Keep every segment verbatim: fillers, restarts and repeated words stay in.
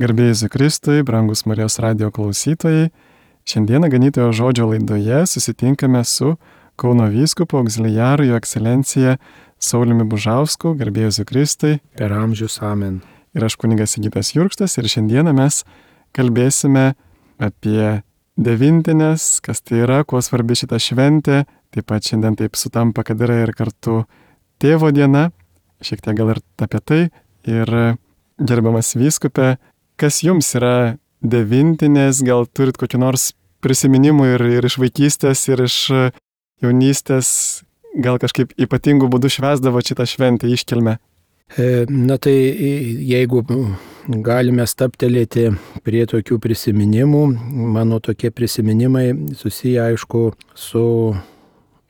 Garbė Jėzui Kristui, brangus Marijos radijo klausytojai, šiandieną Ganytojo žodžio laidoje susitinkame su Kauno vyskupu auxiliaru jo ekscelencija Sauliumi Bužausku, garbė Jėzui Kristui. Per amžius amen. Ir aš kunigas Sigitas Jurkštas ir šiandieną mes kalbėsime apie devintinės, kas tai yra, kuo svarbi šita šventė. Taip pat šiandien taip sutampa, kad yra ir kartu tėvo diena, šiek tiek gal ir apie tai. Ir gerbiamas vyskupe, kas jums yra devintinės, gal turit kokį nors prisiminimų ir, ir iš vaikystės, ir iš jaunystės, gal kažkaip ypatingų būdų švęsdavo šitą šventę iškilmę? Na tai jeigu galime stabtelėti prie tokių prisiminimų, mano tokie prisiminimai susiję aišku su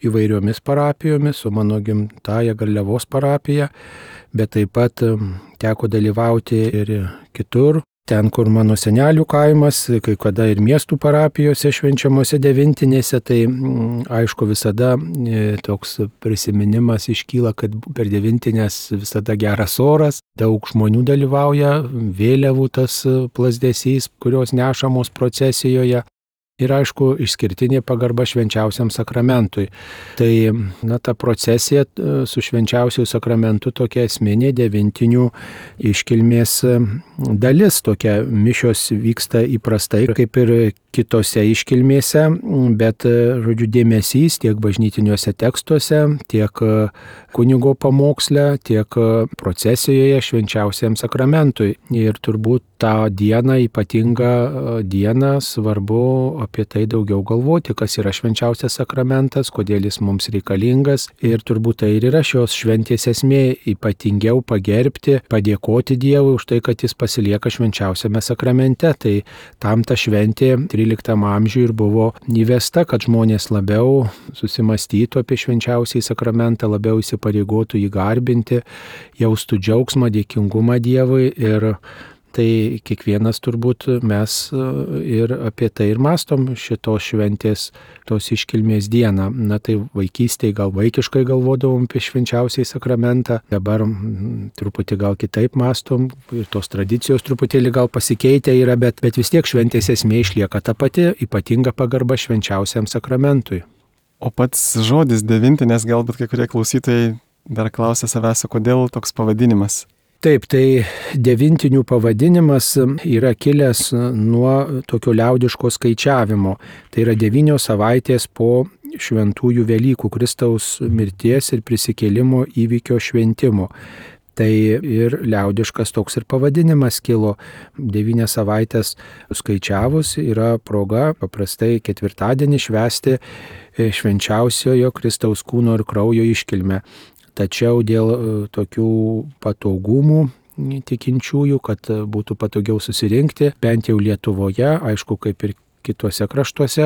įvairiomis parapijomis, su mano gimtaja Garliavos parapija, bet taip pat teko dalyvauti ir kitur. Ten, kur mano senelių kaimas, kai kada ir miestų parapijose švenčiamose devintinėse, tai aišku visada toks prisiminimas iškyla, kad per devintinės visada geras oras, daug žmonių dalyvauja, vėliavų tas plazdesys, kurios nešamos procesijoje. Ir aišku, išskirtinė pagarba švenčiausiam sakramentui. Tai na, ta procesija su švenčiausiu sakramentu tokia esminė devintinių iškilmės dalis. Tokia mišios vyksta įprastai, kaip ir kitose iškilmėse, bet, žodžiu, dėmesys tiek bažnytiniuose tekstuose, tiek kunigo pamoksle, tiek procesijoje švenčiausiam sakramentui. Ir turbūt tą dieną, ypatingą dieną, svarbu apie tai daugiau galvoti, kas yra švenčiausias sakramentas, kodėl jis mums reikalingas. Ir turbūt tai ir yra šios šventės esmė, ypatingiau pagerbti, padėkoti Dievui už tai, kad jis pasilieka švenčiausiame sakramente. Tai tam ta šventė tryliktam amžiui ir buvo įvesta, kad žmonės labiau susimastytų apie švenčiausiai sakramentą, labiau įsipareigotų jį garbinti, jaustų džiaugsmą, dėkingumą Dievui. Ir tai kiekvienas turbūt mes ir apie tai ir mąstom šitos šventės, tos iškilmės dieną. Na tai vaikystėje gal vaikiškai galvodavom apie švenčiausiai sakramentą, dabar truputį gal kitaip mąstom ir tos tradicijos truputėlį gal pasikeitę yra, bet, bet vis tiek šventės esmė išlieka ta pati, ypatinga pagarba švenčiausiam sakramentui. O pats žodis devintinės, galbūt kai kurie klausytojai dar klausia savęs, kodėl toks pavadinimas? Taip, tai devintinių pavadinimas yra kilęs nuo tokio liaudiško skaičiavimo. Tai yra devynios savaitės po šventųjų Velykų, Kristaus mirties ir prisikėlimo įvykio šventimo. Tai ir liaudiškas toks ir pavadinimas kilo. Devynias savaitės skaičiavus yra proga paprastai ketvirtadienį švęsti švenčiausiojo Kristaus kūno ir kraujo iškilmę. Tačiau dėl tokių patogumų tikinčiųjų, kad būtų patogiau susirinkti, bent jau Lietuvoje, aišku, kaip ir kituose kraštuose,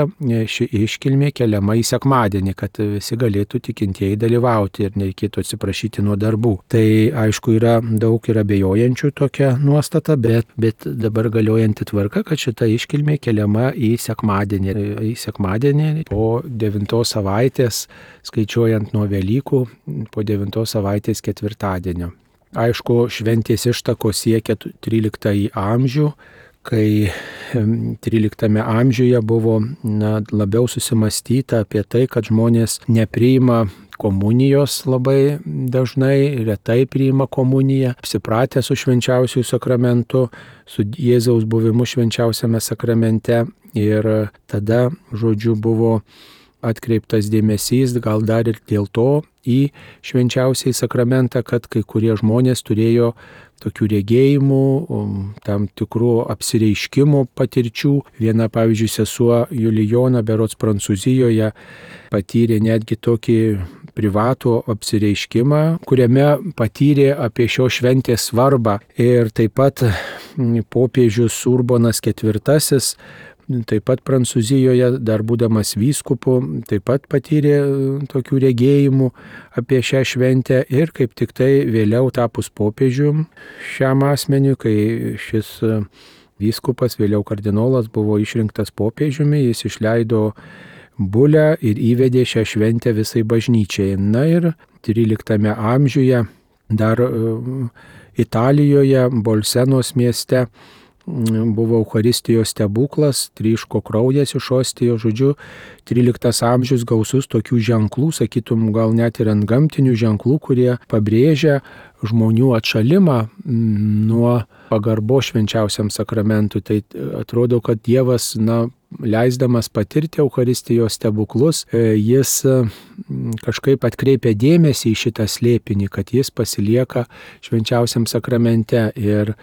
ši iškilmė keliama į sekmadienį, kad visi galėtų tikintieji dalyvauti ir nereikėtų atsiprašyti nuo darbų. Tai aišku, yra daug ir abejojančių tokia nuostata, bet, bet dabar galiojanti tvarka, kad šita iškilmė keliama į sekmadienį. Į sekmadienį po devintos savaitės, skaičiuojant nuo Velykų, po devintos savaitės ketvirtadienio. Aišku, šventės ištakos siekia tryliktąjį amžių, kai tryliktame amžiuje buvo na, labiau susimastyta apie tai, kad žmonės nepriima komunijos labai dažnai, retai priima komuniją, apsipratę su švenčiausiu sakramentu, su Jėzaus buvimu švenčiausiame sakramente. Ir tada, žodžiu, buvo atkreiptas dėmesys, gal dar ir dėl to, į švenčiausiai sakramentą, kad kai kurie žmonės turėjo tokių regėjimų, tam tikrų apsireiškimų patirčių. Viena, pavyzdžiui, sesuo Julijona, berods Prancūzijoje, patyrė netgi tokį privatų apsireiškimą, kuriame patyrė apie šio šventės svarbą. Ir taip pat popiežius Urbonas ketvirtasis, taip pat Prancūzijoje, dar būdamas vyskupu, taip pat patyrė tokių regėjimų apie šią šventę ir kaip tik tai vėliau tapus popiežium šiam asmeniui, kai šis vyskupas, vėliau kardinolas, buvo išrinktas popiežiumi, jis išleido bulę ir įvedė šią šventę visai bažnyčiai. Na ir tryliktame amžiuje dar Italijoje, Bolsenos mieste, buvo Eucharistijos stebuklas, tryško kraujas iš ostijos, žodžiu, tryliktas amžius gausus tokių ženklų, sakytum, gal net ir antgamtinių ženklų, kurie pabrėžia žmonių atšalimą nuo pagarbo švenčiausiam sakramentui. Tai atrodo, kad Dievas, na, leisdamas patirti Eucharistijos stebuklus, jis kažkaip atkreipia dėmesį į šitą slėpinį, kad jis pasilieka švenčiausiam sakramente. Ir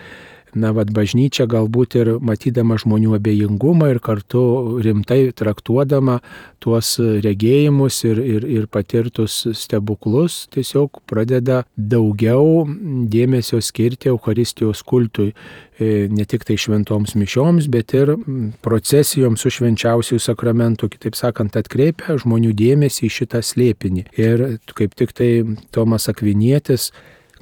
na, vad bažnyčia galbūt ir matydama žmonių abejingumą ir kartu rimtai traktuodama tuos regėjimus ir, ir, ir patirtus stebuklus, tiesiog pradeda daugiau dėmesio skirti Eucharistijos kultui. Ne tik tai šventoms mišioms, bet ir procesijoms su švenčiausiųjų sakramentu, kitaip sakant, atkreipia žmonių dėmesį į šitą slėpinį. Ir kaip tik tai Tomas Akvinietis,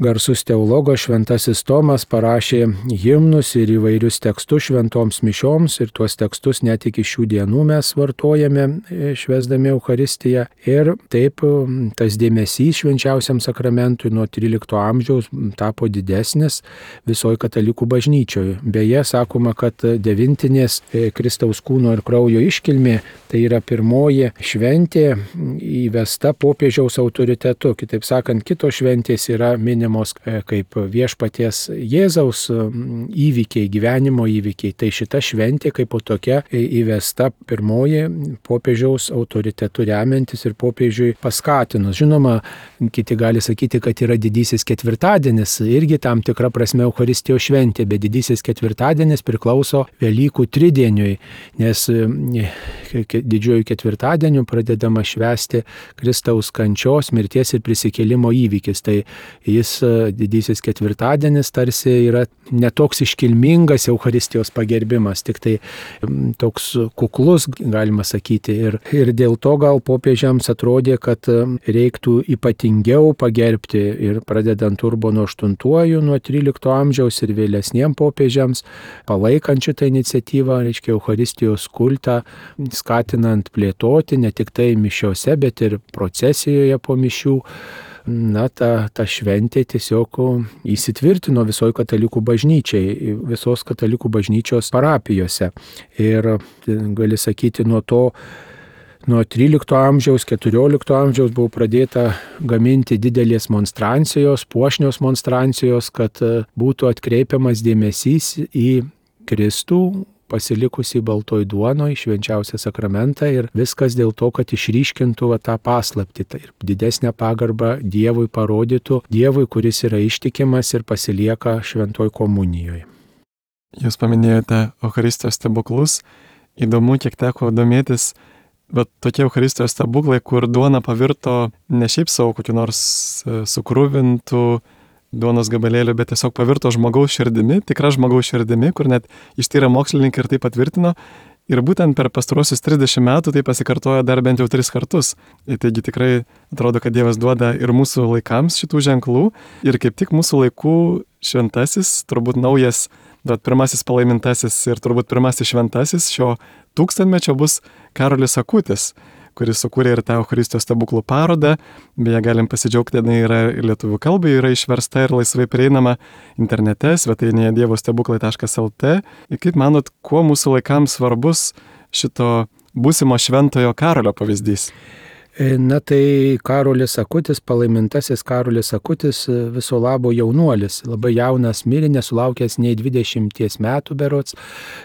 garsus teologas šventasis Tomas, parašė himnus ir įvairius tekstus šventoms mišioms, ir tuos tekstus net iki šių dienų mes vartojame švęsdami Eucharistiją. Ir taip tas dėmesys švenčiausiam sakramentui nuo trylikto amžiaus tapo didesnis visoje katalikų bažnyčioje. Beje, sakoma, kad devintinės Kristaus kūno ir kraujo iškilmė tai yra pirmoji šventė įvesta popiežiaus autoritetu. Kitaip sakant, kitos šventės yra minimos kaip viešpaties Jėzaus įvykiai, gyvenimo įvykiai. Tai šita šventė kaip tokia įvesta pirmoji popiežiaus autoritetu remiantis ir popiežiui paskatinus. Žinoma, kiti gali sakyti, kad yra didysis ketvirtadienis, irgi tam tikra prasme Eucharistijos šventė, bet didysis ketvirtadienis priklauso Velykų tridieniui, nes didžiuoju ketvirtadieniu pradedama švęsti Kristaus kančios, mirties ir prisikėlimo įvykis. Tai jis didysis ketvirtadienis tarsi yra netoks iškilmingas Eucharistijos pagerbimas, tik tai toks kuklus, galima sakyti. Ir, ir dėl to gal popiežiams atrodė, kad reiktų ypatingiau pagerbti ir pradedant Urbonu aštuntuoju nuo trylikto amžiaus ir vėlesniem popiežiams, palaikant šitą iniciatyvą, reiškia Eucharistijos kultą, skatinant plėtoti ne tik tai mišiose, bet ir procesijoje po mišių. Na, ta, ta šventė tiesiog įsitvirtino visoje katalikų bažnyčiai, visos katalikų bažnyčios parapijose. Ir gali sakyti, nuo to, nuo trylikto amžiaus, keturiolikto amžiaus buvo pradėta gaminti didelės monstrancijos, puošnios monstrancijos, kad būtų atkreipiamas dėmesys į Kristų, pasilikusi baltoj duonoj, švenčiausią sakramentą, ir viskas dėl to, kad išryškintų va, tą paslaptį tai ir didesnę pagarbą Dievui parodytų, Dievui, kuris yra ištikimas ir pasilieka šventoj komunijoje. Jūs paminėjote Eucharistijos stebuklus. Įdomu, kiek teko domėtis, bet tokie Eucharistijos stebuklai, kur duona pavirto ne šiaip savo kokiu nors sukruvintų duonos gabalėlių, bet tiesiog pavirto žmogaus širdimi, tikra žmogaus širdimi, kur net ištyrę mokslininkai ir tai patvirtino. Ir būtent per pastarosius trisdešimt metų tai pasikartojo dar bent jau tris kartus. Ir taigi tikrai atrodo, kad Dievas duoda ir mūsų laikams šitų ženklų. Ir kaip tik mūsų laikų šventasis, turbūt naujas, bet pirmasis palaimintasis ir turbūt pirmasis šventasis šio tūkstantmečio bus Karolis Akutis, kuris sukūrė ir tą Eucharistijos stebuklų parodą. Beje, galim pasidžiaugti, jinai yra ir lietuvių kalbai, yra išversta ir laisvai prieinama internete, svetainėje dievo stebuklai taškas el tė. Ir kaip manot, kuo mūsų laikams svarbus šito būsimo šventojo Karolio pavyzdys? Na tai Karolis Akutis, palaimintasis Karolis Akutis, viso labo jaunuolis, labai jaunas mirė, nesulaukęs nei dvidešimties metų berods.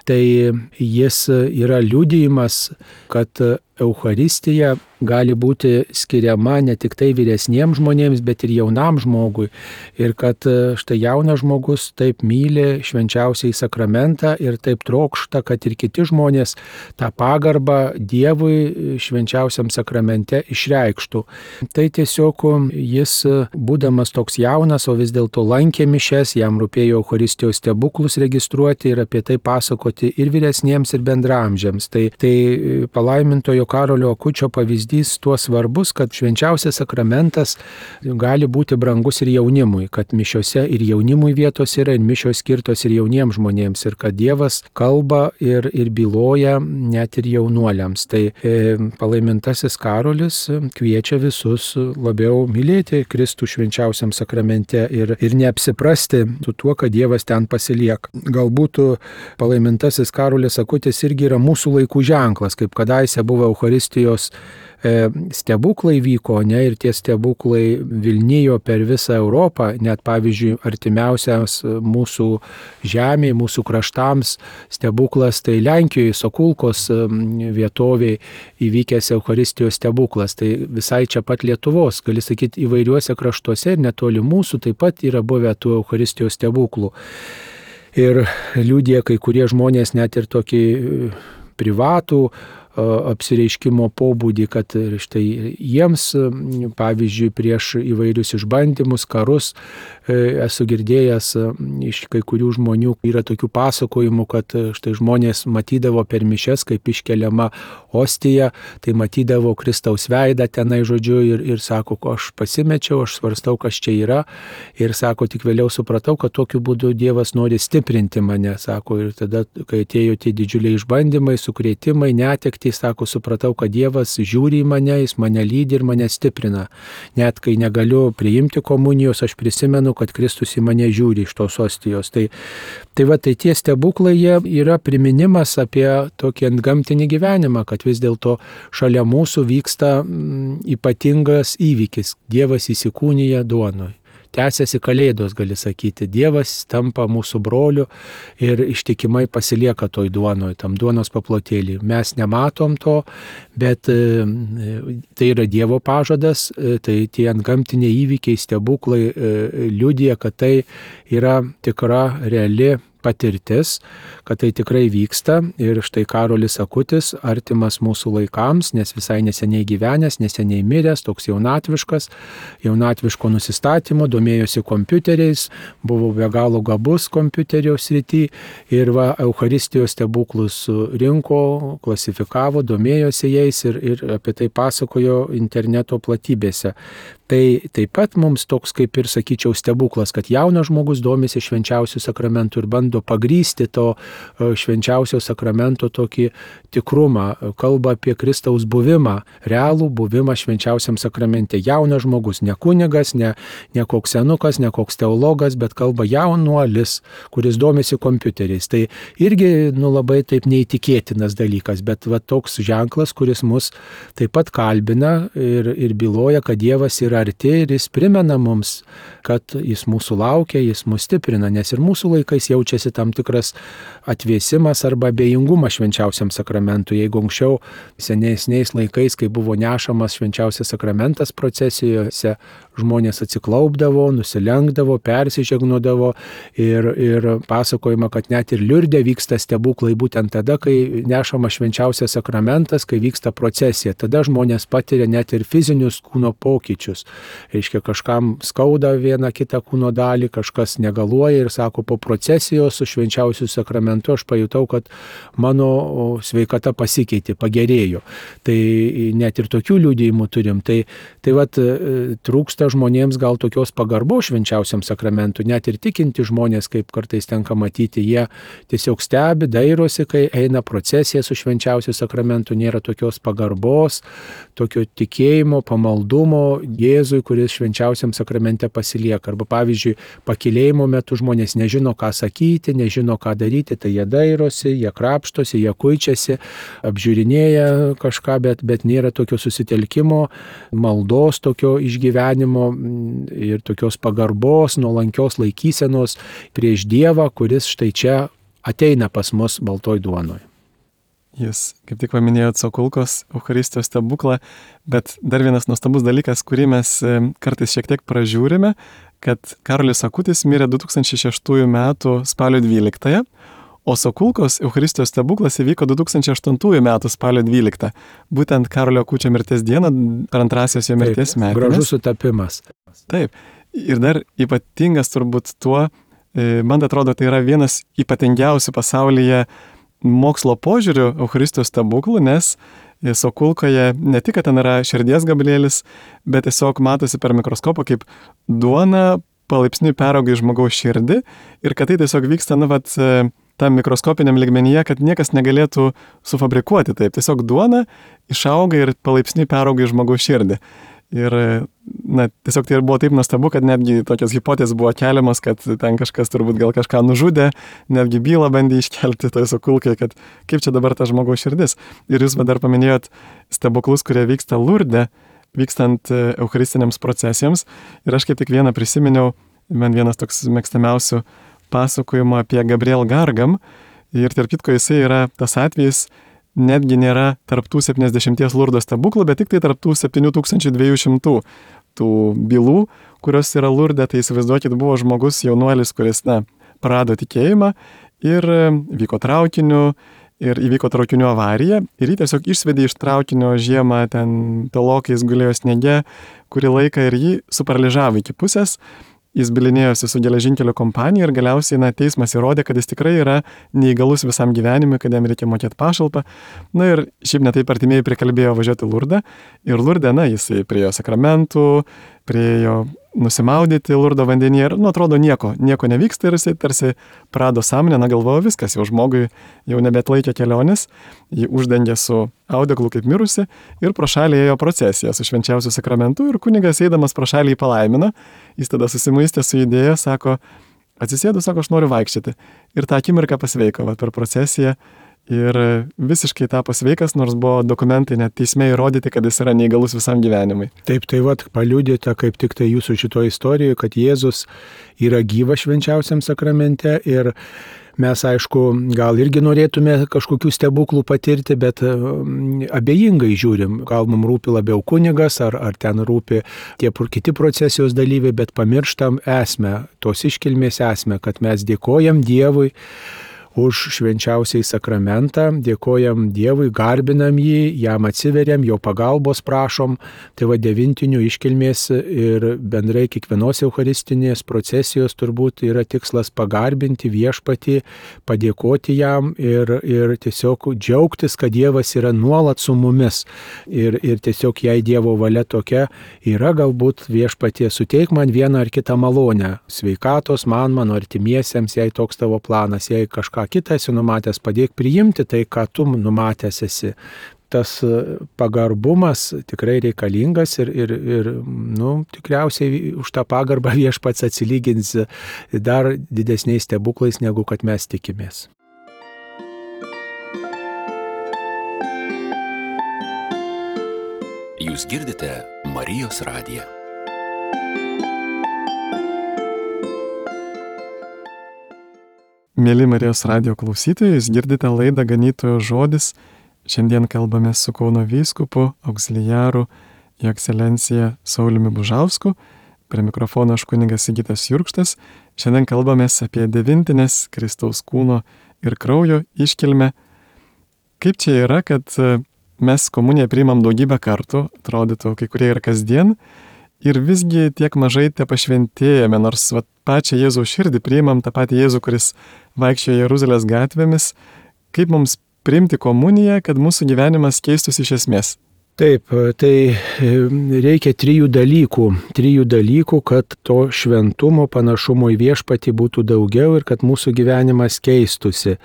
Tai jis yra liudijimas, kad Eucharistija gali būti skiriama ne tik tai vyresniems žmonėms, bet ir jaunam žmogui. Ir kad štai jaunas žmogus taip myli švenčiausiai sakramentą ir taip trokšta, kad ir kiti žmonės tą pagarbą Dievui švenčiausiam sakramente išreikštų. Tai tiesiog jis, būdamas toks jaunas, o vis dėlto lankė mišias, jam rūpėjo Eucharistijos stebuklus registruoti ir apie tai pasakoti ir vyresniems, ir bendramžiams. Tai, tai palaimintojo Karolio Akučio pavyzdys tuo svarbus, kad švenčiausias sakramentas gali būti brangus ir jaunimui, kad mišiose ir jaunimui vietos yra, ir mišios skirtos ir jauniems žmonėms, ir kad Dievas kalba ir, ir byloja net ir jaunuoliams. Tai e, palaimintasis Karolis kviečia visus labiau mylėti Kristų švenčiausiam sakramente ir, ir neapsiprasti su tuo, kad Dievas ten pasilieka. Galbūt palaimintasis Karolis Akutis irgi yra mūsų laikų ženklas, kaip kadaise buvo Eucharistijos e, stebuklai vyko, ne, ir tie stebuklai vilnijo per visą Europą, net pavyzdžiui artimiausias mūsų žemė, mūsų kraštams stebuklas, tai Lenkijoje, Sokulkos vietoviai įvykęs Eucharistijos stebuklas, tai visai čia pat Lietuvos, gali sakyti, įvairiuose kraštuose ir netoli mūsų taip pat yra buvę tų Eucharistijos stebuklų. Ir liudija kai kurie žmonės net ir tokį privatų apsireiškimo pobūdį, kad štai jiems, pavyzdžiui, prieš įvairius išbandymus, karus, esu girdėjęs iš kai kurių žmonių, yra tokių pasakojimų, kad štai žmonės matydavo per mišias, kaip iškeliama ostija, tai matydavo Kristaus veidą tenai, žodžiu, ir, ir sako, aš pasimečiau, aš svarstau, kas čia yra, ir sako, tik vėliau supratau, kad tokiu būdu Dievas nori stiprinti mane, sako, ir tada, kai atėjo tie didžiuliai išbandymai, sukrėtimai, netekti, sako, supratau, kad Dievas žiūri į mane, jis mane lydi ir mane stiprina. Net kai negaliu priimti komunijos, aš prisimenu, kad Kristus į mane žiūri iš tos ostijos. Tai, tai va, tai tie stebuklai jie yra priminimas apie tokį antgamtinį gyvenimą, kad vis dėlto šalia mūsų vyksta mm, ypatingas įvykis. Dievas įsikūnija duonoj. Tęsiasi kalėdos, gali sakyti. Dievas tampa mūsų broliu ir ištikimai pasilieka toj duonoj, tam duonos paplotėlį. Mes nematom to, bet e, tai yra Dievo pažadas, e, tai tie antgamtiniai įvykiai, stebuklai e, liudija, kad tai yra tikra, reali patirtis, kad tai tikrai vyksta ir štai Karolis Akutis, artimas mūsų laikams, nes visai neseniai gyvenęs, neseniai miręs, toks jaunatviškas, jaunatviško nusistatymo, domėjosi kompiuteriais, buvo be galo gabus kompiuterio srity ir va, Eucharistijos stebuklus rinko, klasifikavo, domėjosi jais ir, ir apie tai pasakojo interneto platybėse. Tai taip pat mums toks, kaip ir sakyčiau, stebuklas, kad jaunas žmogus domisi švenčiausių sakramentų ir bando pagrysti to švenčiausio sakramento tokį tikrumą, kalba apie Kristaus buvimą, realų buvimą švenčiausiam sakramente. Jaunas žmogus, ne kunigas, ne, ne koks senukas, ne koks teologas, bet kalba jaunuolis, kuris domisi kompiuteriais. Tai irgi nu, labai taip neįtikėtinas dalykas, bet va, toks ženklas, kuris mus taip pat kalbina ir, ir byloja, kad Dievas yra arti ir jis primena mums, kad jis mūsų laukia, jis mus stiprina, nes ir mūsų laikais jaučiasi tam tikras atvėsimas arba abejingumas švenčiausiam sakramentui. Jeigu anksčiau senesniais laikais, kai buvo nešamas švenčiausias sakramentas procesijose, žmonės atsiklaupdavo, nusilenkdavo, persižegnodavo ir, ir pasakojama, kad net ir Liurde vyksta stebuklai būtent tada, kai nešamas švenčiausias sakramentas, kai vyksta procesija. Tada žmonės patiria net ir fizinius kūno pokyčius. Reiškia, kažkam skauda vieną kitą kūno dalį, kažkas negaluoja ir sako, po procesijos su švenčiausiu sakramentu aš pajutau, kad mano sveikata pasikeitė, pagerėjo. Tai net ir tokių liudijimų turim. Tai, tai vat, trūksta žmonėms gal tokios pagarbos švenčiausiam sakramentui. Net ir tikinti žmonės, kaip kartais tenka matyti, jie tiesiog stebi, dairosi, kai eina procesija su švenčiausiu sakramentu, nėra tokios pagarbos, tokio tikėjimo, pamaldumo Jėzui, kuris švenčiausiam sakramente pasilieka. Arba pavyzdžiui, pakilėjimo metu žmonės nežino, ką sakyti, nežino, ką daryti, tai jie dairosi, jie krapštosi, jie kuičiasi, apžiūrinėja kažką, bet, bet nėra tokio susitelkimo, maldos tokio išgyvenimo ir tokios pagarbos, nuolankios laikysenos prieš Dievą, kuris štai čia ateina pas mus baltoj duonoj. Jūs kaip tik paminėjot Sokulkos Eucharistijos stebuklą, bet dar vienas nuostabus dalykas, kurį mes kartais šiek tiek pražiūrime, kad Karolis Akutis mirė du tūkstančiai šeštųjų metų spalio dvyliktąją, o Sokulkos Eucharistijos stebuklas įvyko du tūkstančiai aštuntųjų metų spalio dvyliktą. Būtent Karolio Akučio mirties dieną per antrasios jo mirties metines. Gražus sutapimas. Taip. Ir dar ypatingas turbūt tuo, man atrodo, tai yra vienas ypatingiausių pasaulyje mokslo požiūrių Eucharistijos stebuklų, nes sokulkoje ne tik, kad ten yra širdies gabalėlis, bet tiesiog matosi per mikroskopą, kaip duona palaipsniui perauga į žmogaus širdį ir kad tai tiesiog vyksta, nu, vat, tam mikroskopiniam lygmenyje, kad niekas negalėtų sufabrikuoti taip. Tiesiog duona išauga ir palaipsniui perauga į žmogaus širdį. Ir, na, tiesiog tai ir buvo taip nuostabu, kad netgi tokios hipotezės buvo keliamas, kad ten kažkas turbūt gal kažką nužudė, netgi bylą bandė iškelti toj sokulkai, kad kaip čia dabar ta žmogaus širdis. Ir jūs dar paminėjot stebuklus, kurie vyksta Lurde, vykstant eucharistiniams procesijoms. Ir aš kaip tik vieną prisiminiau, man vienas toks mėgstamiausių pasakojimų apie Gabriel Gargam. Ir tarp kitko jisai yra tas atvejis, netgi nėra tarptų septyniasdešimties Lurdo stebuklų, bet tik tai tarptų septynių tūkstančių dviejų šimtų tų bylų, kurios yra Lurde. Tai įsivaizduokit, buvo žmogus jaunuolis, kuris, na, prarado tikėjimą ir vyko traukiniu ir įvyko traukinių avarija ir jį tiesiog išsvedė iš traukinio žiemą, ten tolokai jis gulėjo sniege kurį laiką ir jį suparaližavo iki pusės. Jis bylinėjosi su geležinkelio kompanija ir galiausiai, na, teismas įrodė, kad jis tikrai yra neįgalus visam gyvenimui, kad jam reikia mokėti pašalpą. Na ir šiaip netaip artimieji prikalbėjo važiuoti Lurdą. Ir Lurde, na, jisai priejo sakramentų, priejo nusimaudyti Lurdo vandenyje ir, nu, atrodo, nieko, nieko nevyksta ir jisai tarsi prarado sąmonę, na, galvojo viskas, jau žmogui jau nebeatlaikė kelionės, jį uždengė su audeklu kaip mirusi ir pro šalį ėjo procesija su švenčiausiu sakramentu ir kunigas eidamas pro šalį jį palaimino, jis tada susimuistė su idėja, sako, atsisėdu, sako, aš noriu vaikščioti. Ir tą akimirką pasveiko, va, per procesiją. Ir visiškai tapo sveikas, nors buvo dokumentai net teisme įrodyti, kad jis yra neįgalus visam gyvenimui. Taip, tai vat paliudyta kaip tik tai jūsų šitoje istorijoje, kad Jėzus yra gyvas švenčiausiam sakramente ir mes, aišku, gal irgi norėtume kažkokių stebuklų patirti, bet abejingai žiūrim. Gal mums rūpi labiau kunigas, ar, ar ten rūpi tie kiti procesijos dalyviai, bet pamirštam esmę, tos iškilmės esmę, kad mes dėkojam Dievui už švenčiausiai sakramentą, dėkojam Dievui, garbinam jį, jam atsiveriam, jo pagalbos prašom. Tai va devintinių iškilmės ir bendrai kiekvienos eucharistinės procesijos turbūt yra tikslas pagarbinti viešpatį, padėkoti jam ir, ir tiesiog džiaugtis, kad Dievas yra nuolat su mumis. Ir, ir tiesiog jei Dievo valia tokia yra, galbūt viešpatie suteik man vieną ar kitą malonę. Sveikatos man, mano artimiesiems, jei toks tavo planas, jei kažką kitą esi numatęs, padėk priimti tai, ką tu numatęs esi. Tas pagarbumas tikrai reikalingas ir, ir, ir nu, tikriausiai už tą pagarbą viešpats atsilygins dar didesniais stebuklais, negu kad mes tikimės. Jūs girdite Marijos radiją. Mėly Marijos radijo klausytojai, jūs girdite laidą Ganytojo žodis. Šiandien kalbame su Kauno vyskupu, auxiliaru, jo ekscelencija Sauliumi Bužausku. Prie mikrofono aš kunigas Sigitas Jurkštas. Šiandien kalbamės apie devintinės Kristaus kūno ir kraujo iškilmę. Kaip čia yra, kad mes komuniją priimam daugybę kartų, atrodytų kai kurie ir kasdien, ir visgi tiek mažai te pašventėjame, nors vat, pačią Jėzaus širdį priimam, tą patį Jėzų, kuris vaikščiojo Jeruzalės gatvėmis. Kaip mums priimti komuniją, kad mūsų gyvenimas keistųsi iš esmės? Taip, tai reikia trijų dalykų. Trijų dalykų, kad to šventumo, panašumo į viešpatį būtų daugiau ir kad mūsų gyvenimas keistųsi.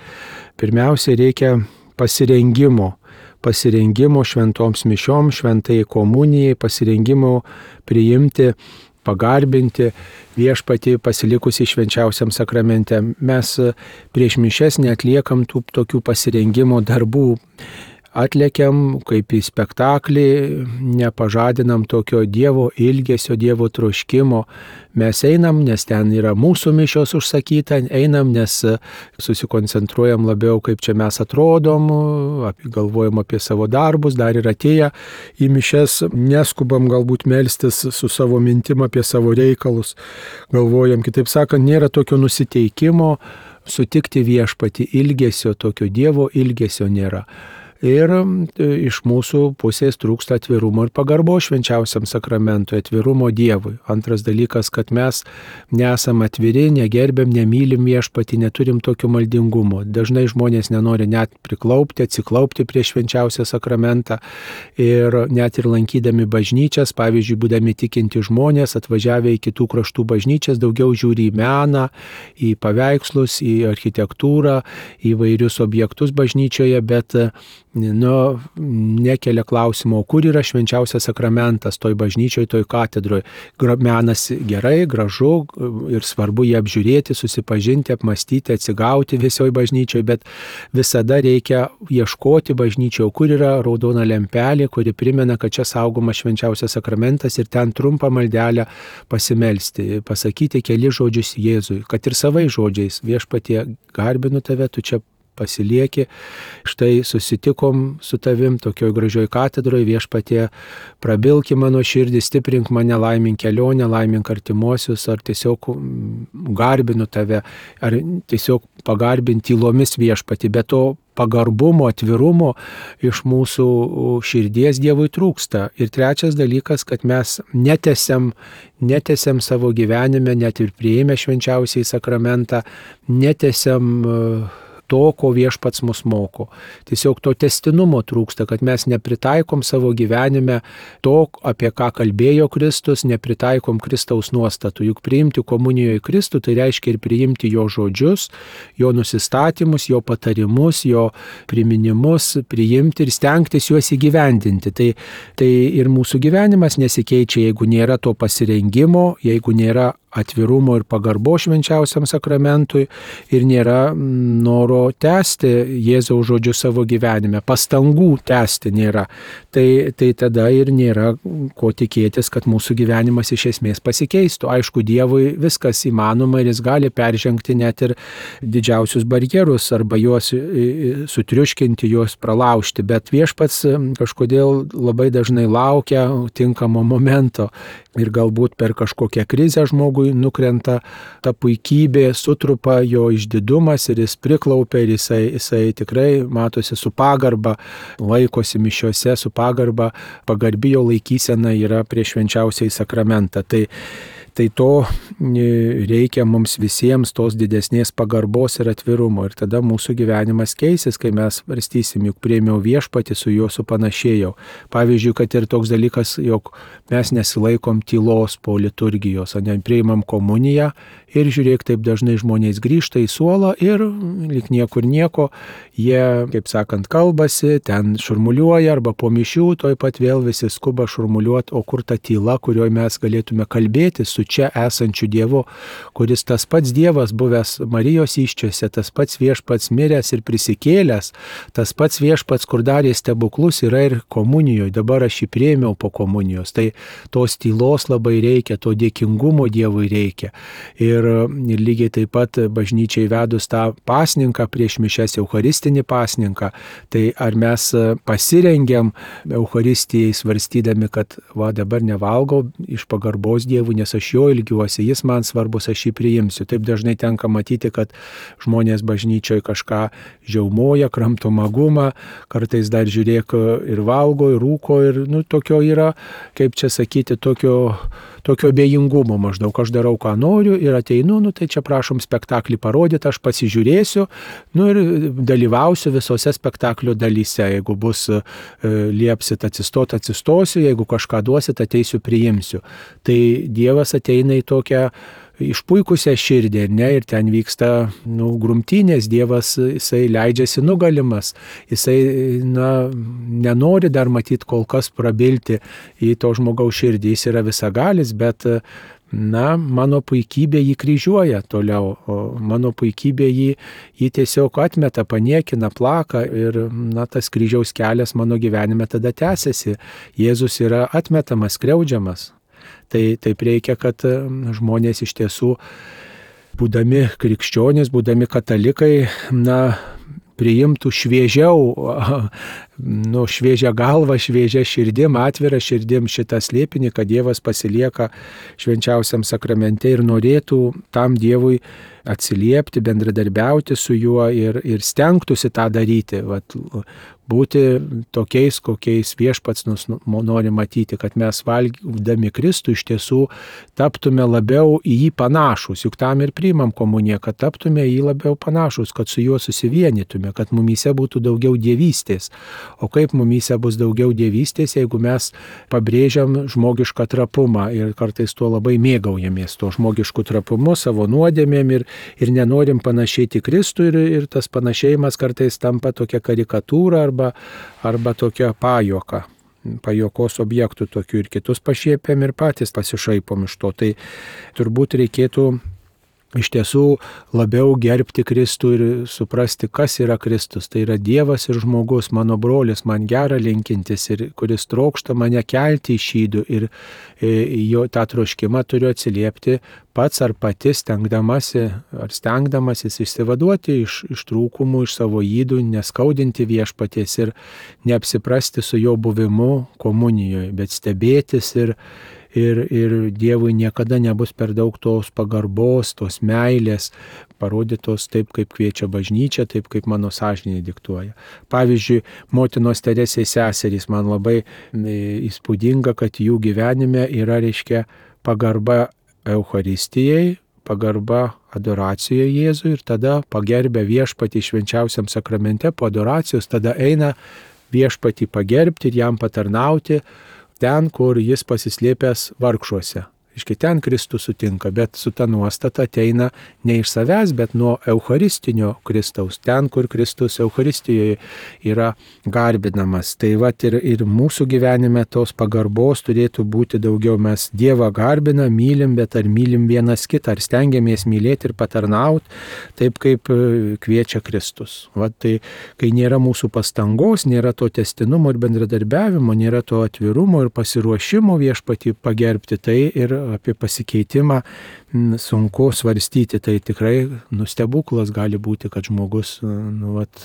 Pirmiausia, reikia pasirengimo. Pasirengimo šventoms mišioms, šventai komunijai, pasirengimo priimti, pagarbinti viešpatį pasilikusį švenčiausiam sakramente. Mes prieš mišes neatliekam tų tokių pasirengimo darbų. Atlekiam kaip į spektaklį, nepažadinam tokio Dievo ilgesio, Dievo troškimo. Mes einam, nes ten yra mūsų mišios užsakyta, einam, nes susikoncentruojam labiau, kaip čia mes atrodom, galvojam apie savo darbus, dar ir atėję į mišes, neskubam galbūt melstis su savo mintim apie savo reikalus. Galvojam, kitaip sakant, nėra tokio nusiteikimo sutikti viešpatį, ilgesio, tokio Dievo ilgesio nėra. Ir iš mūsų pusės trūksta atvirumo ir pagarbo švenčiausiam sakramentui, atvirumo Dievui. Antras dalykas, kad mes nesam atviri, negerbėm, nemylim viešpatį, neturim tokio maldingumo. Dažnai žmonės nenori net priklaupti, atsiklaupti prieš švenčiausią sakramentą ir net ir lankydami bažnyčias, pavyzdžiui, būdami tikinti žmonės, atvažiavę į kitų kraštų bažnyčias, daugiau žiūri į meną, į paveikslus, į architektūrą, į vairius objektus bažnyčioje, bet nu, nekelia klausimo, kur yra švenčiausias sakramentas toj bažnyčioj, toj katedroj. Menas gerai, gražu ir svarbu jį apžiūrėti, susipažinti, apmastyti, atsigauti visoje bažnyčioje, bet visada reikia ieškoti bažnyčioje, kur yra raudona lempelė, kuri primena, kad čia saugomas švenčiausias sakramentas ir ten trumpą maldelę pasimelsti, pasakyti keli žodžius Jėzui, kad ir savai žodžiais: viešpatie, garbinu tave, tu čia pasilieki, štai susitikom su tavim tokioj gražioj katedroje, viešpatie, prabilki mano širdį, stiprink mane, laimink kelionę, laimink artimuosius, ar tiesiog garbinu tave, ar tiesiog pagarbinti tylomis viešpatį, bet to pagarbumo, atvirumo iš mūsų širdies Dievui trūksta. Ir trečias dalykas, kad mes netesiam, netesiam savo gyvenime, net ir priėmę švenčiausiai sakramentą, netesiam to, ko viešpats mus moko. Tiesiog to tęstinumo trūksta, kad mes nepritaikom savo gyvenime to, apie ką kalbėjo Kristus, nepritaikom Kristaus nuostatų. Juk priimti komunijoje Kristų, tai reiškia ir priimti jo žodžius, jo nusistatymus, jo patarimus, jo priminimus, priimti ir stengtis juos įgyvendinti. Tai, tai ir mūsų gyvenimas nesikeičia, jeigu nėra to pasirengimo, jeigu nėra atvirumo ir pagarbo švenčiausiam sakramentui ir nėra noro tęsti Jėzaus žodžius savo gyvenime, pastangų tęsti nėra. Tai, tai tada ir nėra ko tikėtis, kad mūsų gyvenimas iš esmės pasikeistų. Aišku, Dievui viskas įmanoma ir jis gali peržengti net ir didžiausius barjerus arba juos sutriuškinti, juos pralaužti, bet viešpats kažkodėl labai dažnai laukia tinkamo momento ir galbūt per kažkokią krizę žmogui nukrenta ta puikybė, sutrupa jo išdidumas ir jis priklaupia ir jisai, jisai tikrai matosi su pagarba, laikosi mišiose su pagarba, pagarbi jo laikysena yra prieš švenčiausiąjį sakramentą. Tai Tai to reikia mums visiems, tos didesnės pagarbos ir atvirumo. Ir tada mūsų gyvenimas keisis, kai mes svarstysim, juk priėmiau viešpatį, su juo supanašėjau. Pavyzdžiui, kad ir toks dalykas, jog mes nesilaikom tylos po liturgijos, o ne priimam komuniją ir žiūrėk, taip dažnai žmonės grįžta į suolą ir lyg niekur nieko, jie, kaip sakant, kalbasi, ten šurmuliuoja arba po mišių, toj pat vėl visi skuba šurmuliuoti, o kur ta tyla, kurioje mes galėtume kalbėti su čia esančiu Dievu, kuris tas pats Dievas buvęs Marijos įsčiose, tas pats viešpats miręs ir prisikėlęs, tas pats viešpats, kur darė stebuklus, yra ir komunijoje. Dabar aš jį priėmiau po komunijos. Tai tos tylos labai reikia, to dėkingumo Dievui reikia. Ir, ir lygiai taip pat bažnyčiai vedus tą pasninką prieš mišias, eucharistinį pasninką, tai ar mes pasirengiam Eucharistijai svarstydami, kad va dabar nevalgau iš pagarbos Dievui, nes aš jo ilgiuosi, jis man svarbus, aš jį priimsiu. Taip dažnai tenka matyti, kad žmonės bažnyčioje kažką žiaumoja, kramto magumą, kartais dar žiūrėk ir valgo, ir rūko, ir nu, tokio yra, kaip čia sakyti, tokio, tokio abejingumo maždaug. Aš darau, ką noriu ir ateinu, nu tai čia prašom spektaklį parodyti, aš pasižiūrėsiu, nu ir dalyvausiu visose spektaklio dalyse. Jeigu bus e, liepsit atsistot, atsistosiu, jeigu kažką duosit, ateisiu, priimsiu. Tai Dievas ateina į tokią išpuikusią širdį, ne, ir ten vyksta nu, grumtynės, Dievas, jisai leidžiasi nugalimas, jisai na, nenori dar matyti kol kas prabilti į to žmogaus širdį, jis yra visagalis, bet na, mano puikybė jį kryžiuoja toliau, o mano puikybė jį, jį tiesiog atmeta, paniekina, plaka ir na, tas kryžiaus kelias mano gyvenime tada tęsiasi. Jėzus yra atmetamas, skriaudžiamas. Tai taip reikia, kad žmonės iš tiesų, būdami krikščionys, būdami katalikai, na, priimtų šviežiau nu, šviežia galva, šviežia širdim, atvira širdim šitą slėpinį, kad Dievas pasilieka švenčiausiam sakramente ir norėtų tam Dievui atsiliepti, bendradarbiauti su juo ir, ir stengtųsi tą daryti. Vat, būti tokiais, kokiais viešpats mus nori matyti, kad mes valgydami Kristų iš tiesų taptume labiau į jį panašus. Juk tam ir priimam komuniją, kad taptume į jį labiau panašus, kad su juo susivienytume, kad mumyse būtų daugiau dievystės. O kaip mumyse bus daugiau dievystės, jeigu mes pabrėžiam žmogišką trapumą ir kartais tuo labai mėgaujamės, tuo žmogišku trapumu, savo nuodėmėm ir, ir nenorim panašėti Kristų ir, ir tas panašėjimas kartais tampa tokia karikatūra arba, arba tokia pajuoka. Pajokos objektų tokių ir kitus pašiepėm ir patys pasišaipom iš to. Tai turbūt reikėtų iš tiesų labiau gerbti Kristų ir suprasti, kas yra Kristus. Tai yra Dievas ir žmogus, mano brolis, man gera linkintis ir kuris trokšta mane kelti iš ydų ir jo tą troškimą turiu atsiliepti pats ar pati stengdamasi ar stengdamasis išsivaduoti iš, iš trūkumų, iš savo ydų, neskaudinti viešpaties ir neapsiprasti su jo buvimu komunijoje, bet stebėtis ir Ir, ir Dievui niekada nebus per daug tos pagarbos, tos meilės, parodytos taip, kaip kviečia bažnyčia, taip, kaip mano sąžinė diktuoja. Pavyzdžiui, motinos Teresės seserys man labai įspūdinga, kad jų gyvenime yra, reiškia, pagarba Eucharistijai, pagarba adoracijoje Jėzui ir tada pagerbė viešpatį švenčiausiam sakramente po adoracijos, tada eina viešpatį pagerbti ir jam patarnauti ten, kur jis pasislėpęs vargšuose. Iški ten Kristus sutinka, bet su ta nuostata ateina ne iš savęs, bet nuo eucharistinio Kristaus, ten, kur Kristus Eucharistijoje yra garbinamas. Tai vat ir, ir mūsų gyvenime tos pagarbos turėtų būti daugiau. Mes Dievą garbina, mylim, bet ar mylim vienas kitą, ar stengiamės mylėti ir patarnauti, taip kaip kviečia Kristus. Vat tai, kai nėra mūsų pastangos, nėra to tęstinumo ir bendradarbiavimo, nėra to atvirumo ir pasiruošimo viešpatį pagerbti, tai ir apie pasikeitimą sunku svarstyti. Tai tikrai nustebuklas gali būti, kad žmogus nu, vat,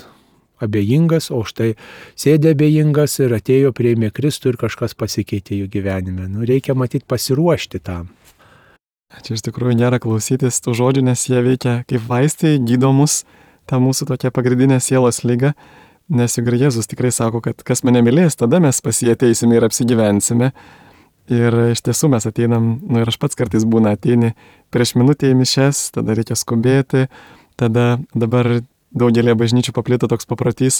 abejingas, o štai sėdė abejingas ir atėjo, priėmė Kristų ir kažkas pasikeitė jų gyvenime. Nu, reikia matyti pasiruošti tam. Čia iš tikrųjų nėra klausytis tų žodžių, nes jie veikia kaip vaistai, gydo mus tą mūsų tokią pagrindinę sielos lygą. Nes juk ir Jėzus tikrai sako, kad kas mane mylės, tada mes pas jį ateisime ir apsigyvensime. Ir iš tiesų mes ateinam, nu ir aš pats kartais būna ateini prieš minutę į mišes, tada reikia skubėti, tada dabar daugelį bažnyčių paplito toks paprotys,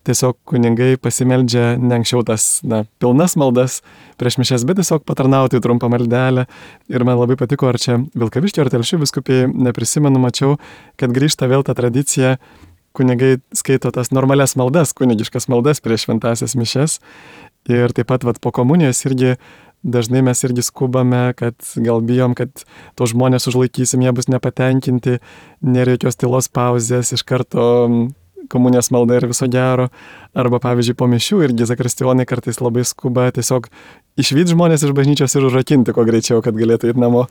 tiesiog kunigai pasimeldžia ne anksčiau tas na, pilnas maldas prieš mišes, bet tiesiog patarnauti trumpą maldelę. Ir man labai patiko, ar čia Vilkaviškio ar Telšių vyskupijai, neprisimenu, mačiau, kad grįžta vėl ta tradicija, kunigai skaito tas normalias maldas, kunigiškas maldas prieš šventąsias mišes. Ir taip pat vat, po komunijos irgi dažnai mes irgi skubame, kad gal bijom, kad to žmonės užlaikysim, jie bus nepatenkinti, nėra jokios tylos pauzės, iš karto komunijos malda ir viso gero. Arba pavyzdžiui po mišių irgi zakristijonai kartais labai skuba tiesiog išvyt žmonės iš bažnyčios ir užrakinti kuo greičiau, kad galėtų eiti namo.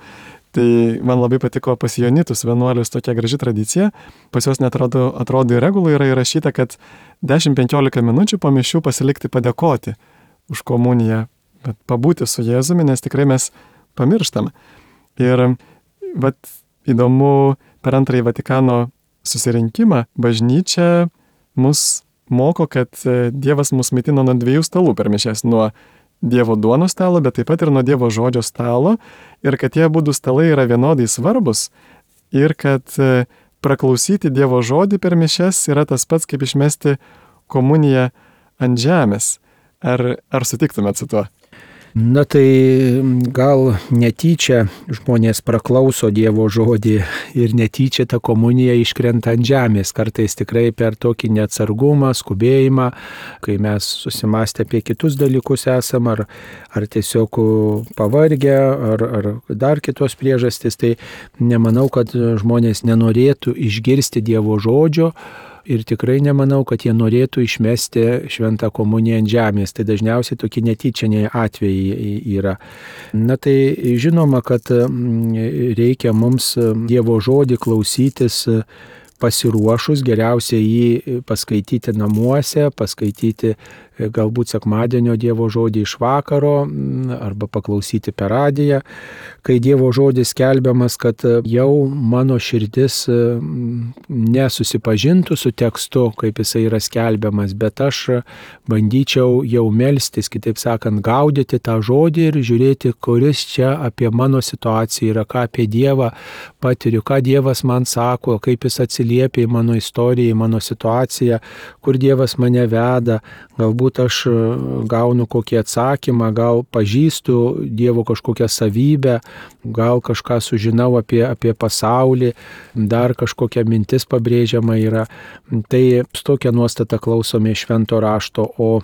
Tai man labai patiko pas Jonitus vienuolius tokia graži tradicija. Pas juos net atrodo, atrodo į regulą yra įrašyta, kad dešimt penkiolika minučių po mišių pasilikti padėkoti už komuniją, bet pabūti su Jėzumi, nes tikrai mes pamirštam. Ir vat, įdomu, per antrąjį Vatikano susirinkimą bažnyčia mus moko, kad Dievas mus maitino nuo dviejų stalų per mišias, nuo Dievo duonos stalo, bet taip pat ir nuo Dievo žodžio stalo, ir kad tie abudu stalai yra vienodai svarbus, ir kad praklausyti Dievo žodį per mišias yra tas pats, kaip išmesti komuniją ant žemės. Ar, ar sutiktumėt su tuo? Na tai gal netyčia žmonės praklauso Dievo žodį ir netyčia ta komunija iškrenta ant žemės. Kartais tikrai per tokį neatsargumą, skubėjimą, kai mes susimastę apie kitus dalykus esam, ar, ar tiesiog pavargę, ar, ar dar kitos priežastys, tai nemanau, kad žmonės nenorėtų išgirsti Dievo žodžio. Ir tikrai nemanau, kad jie norėtų išmesti šventą komuniją ant žemės. Tai dažniausiai tokie netyčiniai atvejai yra. Na tai žinoma, kad reikia mums Dievo žodį klausytis pasiruošus, geriausia jį paskaityti namuose, paskaityti galbūt sekmadienio Dievo žodį iš vakaro arba paklausyti per radiją, kai Dievo žodis skelbiamas, kad jau mano širdis nesusipažintų su tekstu, kaip jisai yra skelbiamas, bet aš bandyčiau jau melstis, kitaip sakant, gaudyti tą žodį ir žiūrėti, kuris čia apie mano situaciją yra, ką apie Dievą patiriu, ką Dievas man sako, kaip jis atsiliepia į mano istoriją, į mano situaciją, kur Dievas mane veda. Galbūt aš gaunu kokį atsakymą, gal pažįstu Dievo kažkokią savybę, gal kažką sužinau apie, apie pasaulį, dar kažkokia mintis pabrėžiama yra. Tai su tokia nuostata klausome švento rašto, o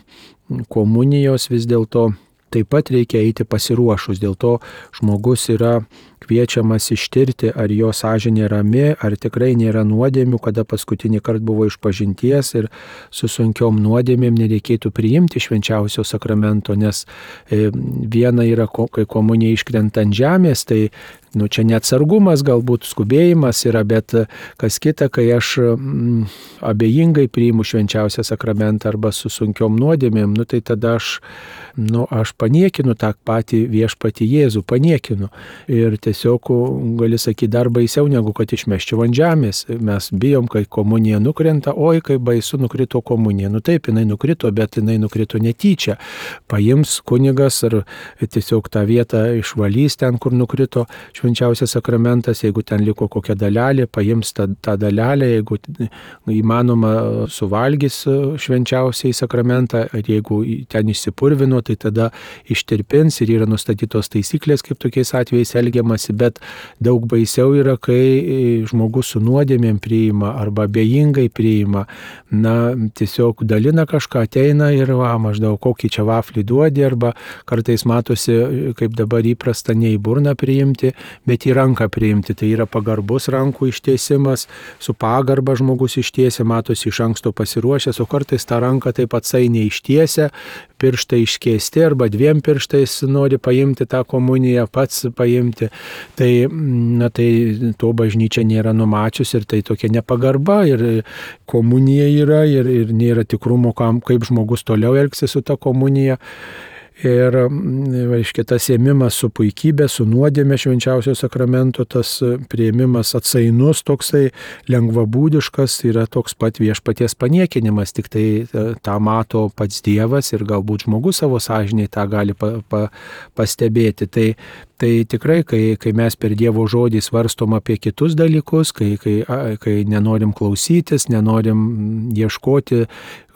komunijos vis dėlto taip pat reikia eiti pasiruošus. Dėl to žmogus yra kviečiamas ištirti, ar jo sąžinė rami, ar tikrai nėra nuodėmių, kada paskutinį kartą buvo išpažinties ir su sunkiom nuodėmėm nereikėtų priimti švenčiausio sakramento, nes viena yra, kai komunija iškrenta ant žemės, tai nu, čia neatsargumas, galbūt skubėjimas yra, bet kas kita, kai aš mm, abejingai priimu švenčiausią sakramentą arba su sunkiom nuodėmėm, nu, tai tada aš, nu, aš paniekinu tą patį viešpatį Jėzų, paniekinu. Ir tiesiog gali sakyti dar baisiau, negu kad išmeščiau ant žemės. Mes bijom, kai komunija nukrenta, oi, kaip baisu nukrito komunija. Nu taip, jinai nukrito, bet jinai nukrito netyčia. Paims kunigas ar tiesiog tą vietą išvalys ten, kur nukrito švenčiausias sakramentas, jeigu ten liko kokia dalelė, paims tą, tą dalelę, jeigu įmanoma suvalgys švenčiausiai sakramentą, ar jeigu ten išsipurvino, tai tada ištirpins ir yra nustatytos taisyklės, kaip tokiais atvejais elgiamasi, bet daug baisiau yra, kai žmogus su nuodėmėm priima arba abejingai priima, na, tiesiog dalina kažką, ateina ir va, maždaug kokį čia vaflį duodi, arba kartais matosi, kaip dabar įprasta, ne į burną priimti, bet į ranką priimti. Tai yra pagarbus rankų ištiesimas, su pagarba žmogus ištiesia, matosi iš anksto pasiruošęs, o kartais tą ranką taip atsainiai ištiesia, pirštai iškeisti arba dviem pirštais nori paimti tą komuniją, pats paimti. Tai, na, tai to bažnyčia nėra numačius ir tai tokia nepagarba ir komunija yra ir, ir nėra tikrumo, kam, kaip žmogus toliau elgsis su ta komunija. Ir, reiškia, tas ėmimas su puikybė, su nuodėmė švenčiausio sakramento, tas priėmimas atsainus, toksai lengvabūdiškas, yra toks pat viešpaties paniekinimas, tik tai tą mato pats Dievas ir galbūt žmogus savo sąžiniai tą gali pa, pa, pastebėti. Tai, tai tikrai, kai, kai mes per Dievo žodį svarstom apie kitus dalykus, kai, kai, kai nenorim klausytis, nenorim ieškoti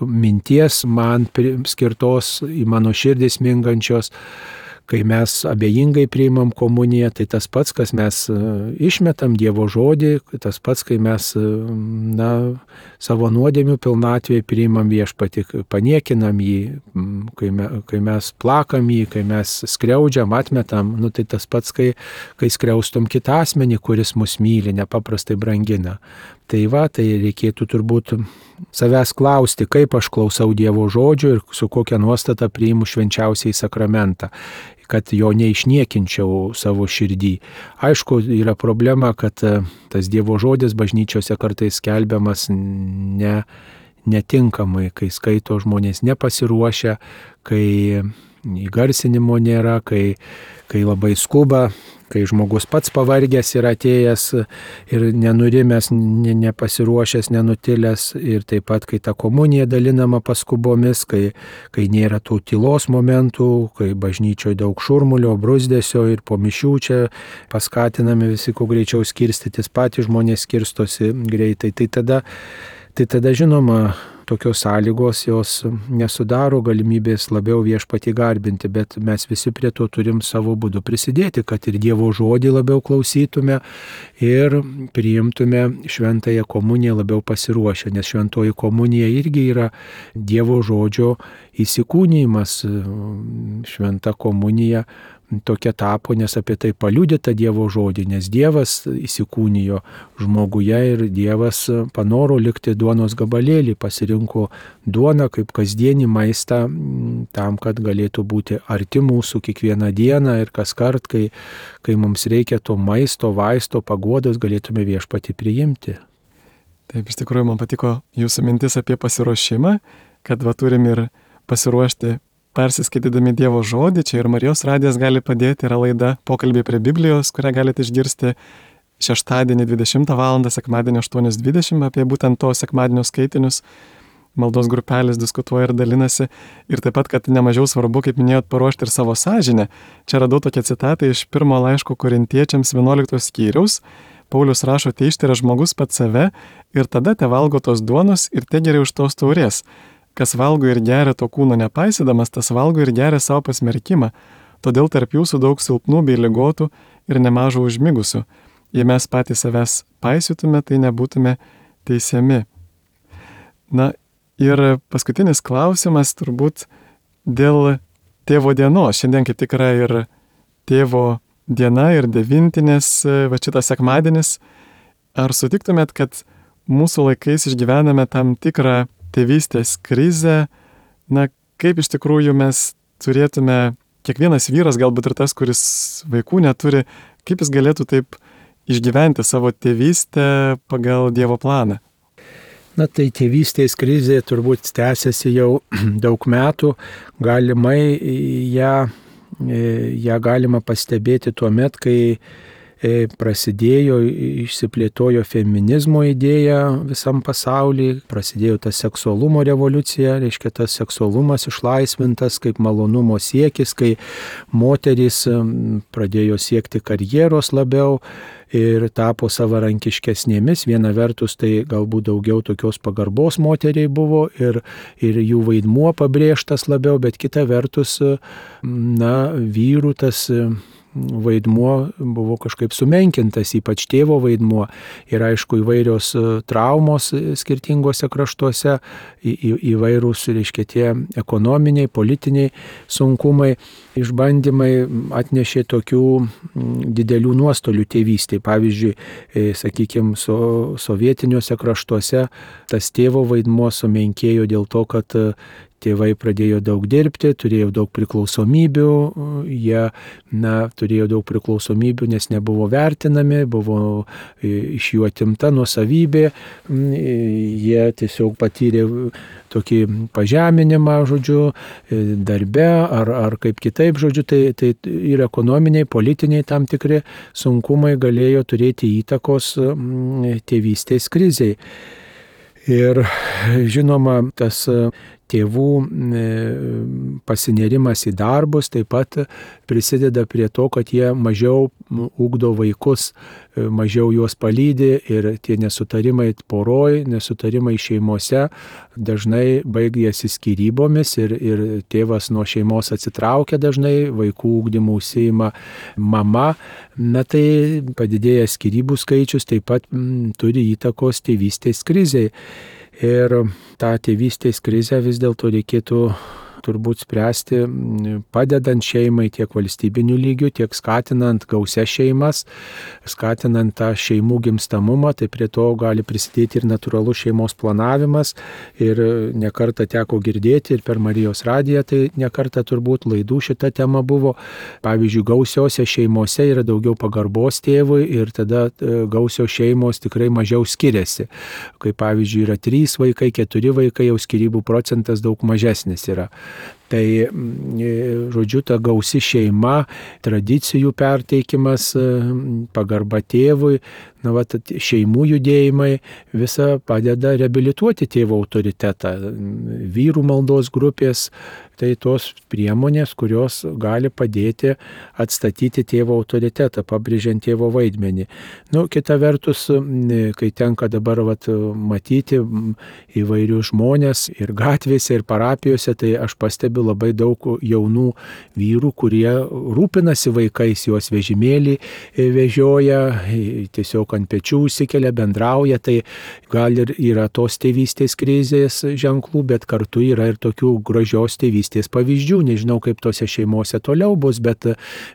minties man skirtos į mano širdis mingančios, kai mes abejingai priimam komuniją, tai tas pats, kas mes išmetam Dievo žodį, tas pats, kai mes, na, savo nuodėmių pilnatvėje priimam viešpatį, paniekinam jį, kai, me, kai mes plakam jį, kai mes skriaudžiam, atmetam, nu, tai tas pats, kai, kai skriaustum kitą asmenį, kuris mus myli, nepaprastai brangina. Tai va, tai reikėtų turbūt savęs klausti, kaip aš klausau Dievo žodžio ir su kokia nuostata priimu švenčiausiai sakramentą, kad jo neišniekinčiau savo širdį. Aišku, yra problema, kad tas Dievo žodis bažnyčiose kartais skelbiamas ne, netinkamai, kai skaito žmonės nepasiruošę, kai įgarsinimo nėra, kai, kai labai skuba, kai žmogus pats pavargęs yra atėjęs ir nenurimęs, nepasiruošęs, nenutilęs, ir taip pat, kai ta komunija dalinama paskubomis, kai, kai nėra tų tylos momentų, kai bažnyčioje daug šurmulio, brusdesio ir po mišių čia paskatinami visi kuo greičiau skirstytis, patys žmonės skirstosi greitai, tai tada, tai tada žinoma, tokios sąlygos jos nesudaro galimybės labiau viešpatį garbinti, bet mes visi prie to turim savo būdu prisidėti, kad ir Dievo žodį labiau klausytume ir priimtume šventąją komuniją labiau pasiruošę, nes šventoji komunija irgi yra Dievo žodžio įsikūnijimas. Šventa komunija tokia tapo, nes apie tai paliudyta Dievo žodį, nes Dievas įsikūnijo žmoguje ir Dievas panoro likti duonos gabalėlį, pasirinko duoną kaip kasdienį maistą tam, kad galėtų būti arti mūsų kiekvieną dieną ir kas kart, kai, kai mums reikia to maisto, vaisto, paguodos, galėtume viešpatį priimti. Taip, iš tikrųjų, man patiko jūsų mintis apie pasiruošimą, kad va turim ir pasiruošti persiskaitydami Dievo žodį. Čia ir Marijos radijas gali padėti, yra laida Pokalbiai prie Biblijos, kurią galite išgirsti šeštadienį dvidešimtą valandą, sekmadienį aštuonios dvidešimt apie būtent to sekmadienio skaitinius. Maldos grupelės diskutuoja ir dalinasi. Ir taip pat, kad nemažiau svarbu, kaip minėjot, paruošti ir savo sąžinę. Čia radau tokią citatą iš pirmo laiško Korintiečiams vienuoliktos skyriaus. Paulius rašo, te ištiria žmogus pats save ir tada te valgo tos duonos ir te geria už tos taurės. Kas valgo ir geria to kūno nepaisydamas, tas valgo ir geria savo pasmerkimą. Todėl tarp jūsų daug silpnų bei ligotų ir nemažo užmigusių. Jei mes patys savęs paisytume, tai nebūtume teisiami. Na ir paskutinis klausimas turbūt dėl tėvo dienos. Šiandien kaip tik yra ir tėvo diena ir devintinės, va šitas sekmadienis. Ar sutiktumėt, kad mūsų laikais išgyvename tam tikrą tėvystės krizę? Na, kaip iš tikrųjų mes turėtume, kiekvienas vyras, galbūt ir tas, kuris vaikų neturi, kaip jis galėtų taip išgyventi savo tėvystę pagal Dievo planą? Na tai tėvystės krizė turbūt tęsiasi jau daug metų, galimai ją, ją galima pastebėti tuo met, kai prasidėjo, išsiplėtojo feminizmo idėja visam pasaulyje, prasidėjo ta seksualumo revoliucija, reiškia tas seksualumas išlaisvintas kaip malonumo siekis, kai moterys pradėjo siekti karjeros labiau ir tapo savarankiškesnėmis. Viena vertus tai galbūt daugiau tokios pagarbos moteriai buvo ir, ir jų vaidmuo pabrėžtas labiau, bet kita vertus, na, vyrų tas vaidmuo buvo kažkaip sumenkintas, ypač tėvo vaidmuo. Ir aišku, įvairios traumos skirtingose kraštuose, į, į, įvairūs, reiškia, tie ekonominiai, politiniai sunkumai, išbandymai atnešė tokių didelių nuostolių tėvystėje. Pavyzdžiui, sakykime, so, sovietiniuose kraštuose tas tėvo vaidmuo sumenkėjo dėl to, kad tėvai pradėjo daug dirbti, turėjo daug priklausomybių, jie, na, turėjo daug priklausomybių, nes nebuvo vertinami, buvo iš jų atimta nuosavybė, jie tiesiog patyrė tokį pažeminimą, žodžiu, darbe ar, ar kaip kitaip, žodžiu, tai, tai ir ekonominiai, politiniai tam tikri sunkumai galėjo turėti įtakos tėvystės krizei. Ir žinoma, tas tėvų pasinerimas į darbus taip pat prisideda prie to, kad jie mažiau ugdo vaikus, mažiau juos palydi ir tie nesutarimai poroj, nesutarimai šeimose dažnai baigėsi skyrybomis ir, ir tėvas nuo šeimos atsitraukia dažnai, vaikų ugdymų užsiima mama. Na tai padidėjęs skyrybų skaičius taip pat m, turi įtakos tėvystės krizei. Ir tą tėvystės krizę vis dėlto reikėtų turbūt spręsti padedant šeimai tiek valstybiniu lygiu, tiek skatinant gausias šeimas, skatinant tą šeimų gimstamumą, tai prie to gali prisidėti ir natūralus šeimos planavimas. Ir nekartą teko girdėti ir per Marijos radiją, tai nekartą turbūt laidų šita tema buvo. Pavyzdžiui, gausiose šeimose yra daugiau pagarbos tėvui ir tada gausios šeimos tikrai mažiau skiriasi. Kai pavyzdžiui yra trys vaikai, keturi vaikai, jau skyrybų procentas daug mažesnis yra. Tai, žodžiu, ta gausi šeima, tradicijų perteikimas, pagarba tėvui, na, va, šeimų judėjimai visa padeda reabilituoti tėvo autoritetą. Vyrų maldos grupės, tai tos priemonės, kurios gali padėti atstatyti tėvo autoritetą, pabrėžiant tėvo vaidmenį. Nu, kita vertus, kai tenka dabar vat, matyti įvairius žmonės ir gatvėse, ir parapijose, tai aš pastebiu labai daug jaunų vyrų, kurie rūpinasi vaikais, juos vežimėlį vežioja, tiesiog ant pečių užsikelia, bendrauja, tai gal ir yra tos tėvystės krizės ženklų, bet kartu yra ir tokių gražios tėvystės pavyzdžių. Nežinau, kaip tose šeimose toliau bus, bet,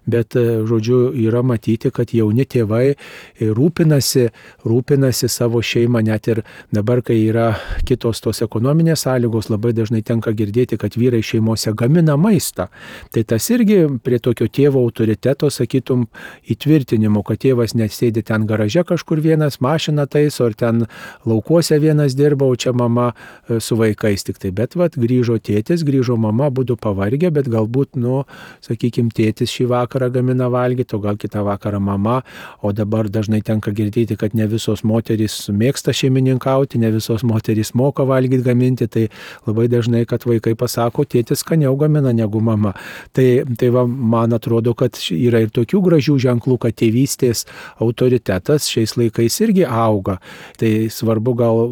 bet žodžiu, yra matyti, kad jauni tėvai rūpinasi, rūpinasi savo šeimą, net ir dabar, kai yra kitos tos ekonominės sąlygos, labai dažnai tenka girdėti, kad vyrai šeimose šeimose, gamina maistą. Tai tas irgi prie tokio tėvo autoriteto, sakytum, įtvirtinimo, kad tėvas nesėdi ten garaže kažkur vienas, mašiną taiso, ar ten laukuose vienas dirba, o čia mama su vaikais tik tai. Bet vat, grįžo tėtis, grįžo mama, būtų pavargę, bet galbūt, nu, sakykime, tėtis šį vakarą gamina valgyti, o gal kitą vakarą mama, o dabar dažnai tenka girdėti, kad ne visos moterys mėgsta šeimininkauti, ne visos moterys moka valgyti, gaminti, tai labai dažnai, kad vaikai pasako, tėtis skaniau gamina negu mama. Tai, tai va, man atrodo, kad yra ir tokių gražių ženklų, kad tėvystės autoritetas šiais laikais irgi auga. Tai svarbu gal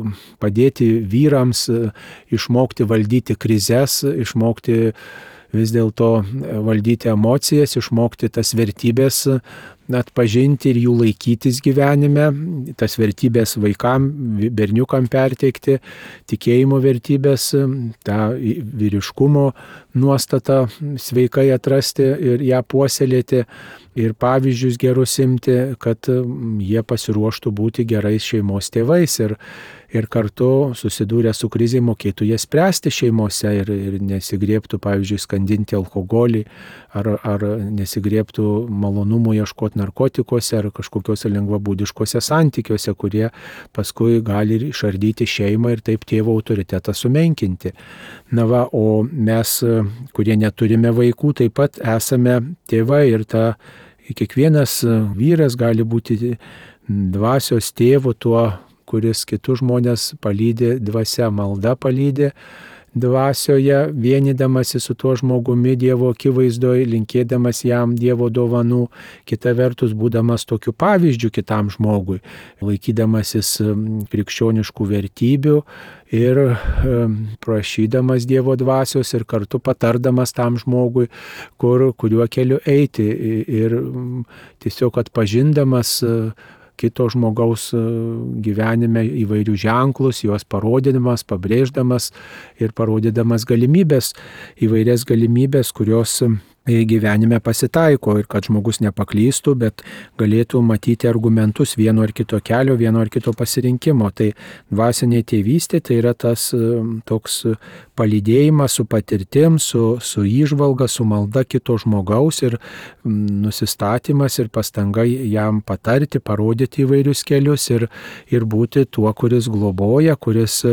padėti vyrams išmokti valdyti krizes, išmokti vis dėlto valdyti emocijas, išmokti tas vertybės atpažinti ir jų laikytis gyvenime, tas vertybės vaikam, berniukam perteikti, tikėjimo vertybės, tą vyriškumo nuostatą sveikai atrasti ir ją puoselėti ir pavyzdžius gerus imti, kad jie pasiruoštų būti gerais šeimos tėvais ir, ir kartu susidūrę su krizė mokėtų jas spręsti šeimose ir, ir nesigriebtų, pavyzdžiui, skandinti alkoholį ar, ar nesigriebtų malonumų ieškoti narkotikuose ar kažkokiuose lengvabūdiškuose santykiuose, kurie paskui gali išardyti šeimą ir taip tėvo autoritetą sumenkinti. Na va, o mes, kurie neturime vaikų, taip pat esame tėvai ir ta kiekvienas vyras gali būti dvasios tėvu tuo, kuris kitus žmonės palydi dvasia, malda palydi dvasioje, vienydamasi su tuo žmogumi Dievo akivaizdoje, linkėdamas jam Dievo dovanų, kita vertus būdamas tokiu pavyzdžiu kitam žmogui, laikydamasis krikščioniškų vertybių ir prašydamas Dievo dvasios ir kartu patardamas tam žmogui, kur, kuriuo keliu eiti ir tiesiog atpažindamas kito žmogaus gyvenime įvairių ženklus, juos parodydamas, pabrėždamas ir parodydamas galimybės, įvairias galimybės, kurios gyvenime pasitaiko ir kad žmogus nepaklystų, bet galėtų matyti argumentus vieno ar kito kelio, vieno ar kito pasirinkimo. Tai dvasinė tėvystė tai yra tas toks palydėjimas su patirtim, su, su įžvalga, su malda kito žmogaus ir nusistatymas ir pastanga jam patarti, parodyti įvairius kelius ir, ir būti tuo, kuris globoja, kuris